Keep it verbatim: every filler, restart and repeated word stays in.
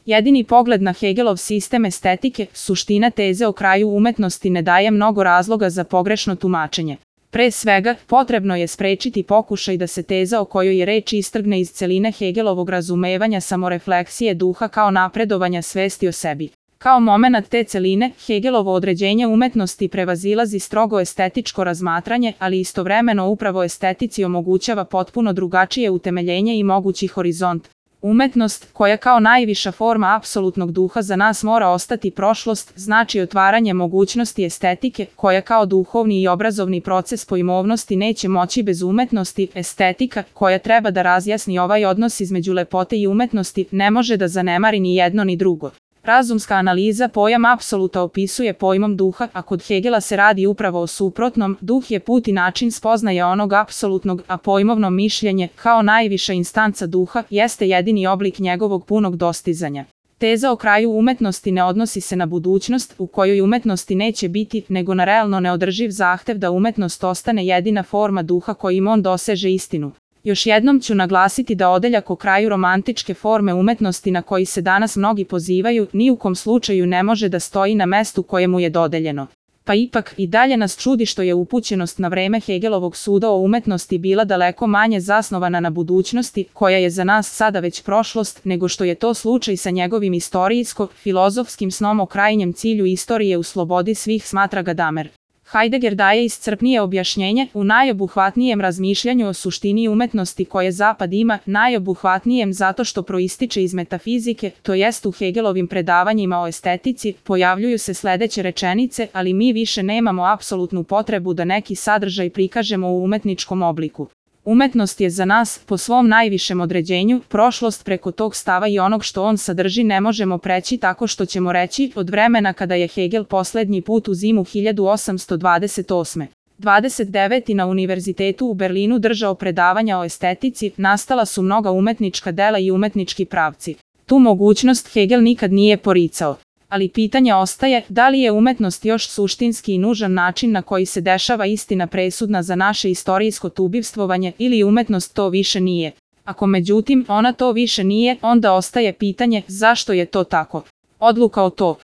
Jedini pogled na Hegelov sistem estetike, suština teze o kraju umetnosti ne daje mnogo razloga za pogrešno tumačenje. Pre svega, potrebno je sprečiti pokušaj da se teza o kojoj je reč istrgne iz celine Hegelovog razumevanja samorefleksije duha kao napredovanja svesti o sebi. Kao momenat te celine, Hegelovo određenje umetnosti prevazilazi strogo estetičko razmatranje, ali istovremeno upravo estetici omogućava potpuno drugačije utemeljenje i mogući horizont. Umetnost, koja kao najviša forma apsolutnog duha za nas mora ostati prošlost, znači otvaranje mogućnosti estetike, koja kao duhovni i obrazovni proces pojmovnosti neće moći bez umetnosti. Estetika, koja treba da razjasni ovaj odnos između lepote i umetnosti, ne može da zanemari ni jedno ni drugo. Razumska analiza pojam apsoluta opisuje pojmom duha, a kod Hegela se radi upravo o suprotnom. Duh je put i način spoznaje onog apsolutnog, a pojmovno mišljenje, kao najviša instanca duha, jeste jedini oblik njegovog punog dostizanja. Teza o kraju umetnosti ne odnosi se na budućnost, u kojoj umetnosti neće biti, nego na realno neodrživ zahtev da umetnost ostane jedina forma duha kojim on doseže istinu. Još jednom ću naglasiti da odeljak o kraju romantičke forme umetnosti na koji se danas mnogi pozivaju, ni u kom slučaju ne može da stoji na mestu koje mu je dodeljeno. Pa ipak, i dalje nas čudi što je upućenost na vreme Hegelovog suda o umetnosti bila daleko manje zasnovana na budućnosti, koja je za nas sada već prošlost, nego što je to slučaj sa njegovim istorijsko-filozofskim snom o krajnjem cilju istorije u slobodi svih, smatra Gadamer. Heidegger daje iscrpnije objašnjenje u najobuhvatnijem razmišljanju o suštini umetnosti koje Zapad ima, najobuhvatnijem zato što proističe iz metafizike, to jest u Hegelovim predavanjima o estetici, pojavljuju se sledeće rečenice, ali mi više nemamo apsolutnu potrebu da neki sadržaj prikažemo u umetničkom obliku. Umetnost je za nas, po svom najvišem određenju, prošlost. Preko tog stava i onog što on sadrži ne možemo preći tako što ćemo reći, od vremena kada je Hegel poslednji put u zimu hiljadu osamsto dvadeset osme. dvadeset devete na Univerzitetu u Berlinu držao predavanja o estetici, nastala su mnoga umetnička dela i umetnički pravci. Tu mogućnost Hegel nikad nije poricao. Ali pitanje ostaje, da li je umetnost još suštinski i nužan način na koji se dešava istina presudna za naše istorijsko tubivstvovanje, ili umetnost to više nije. Ako međutim ona to više nije, onda ostaje pitanje zašto je to tako. Odluka o to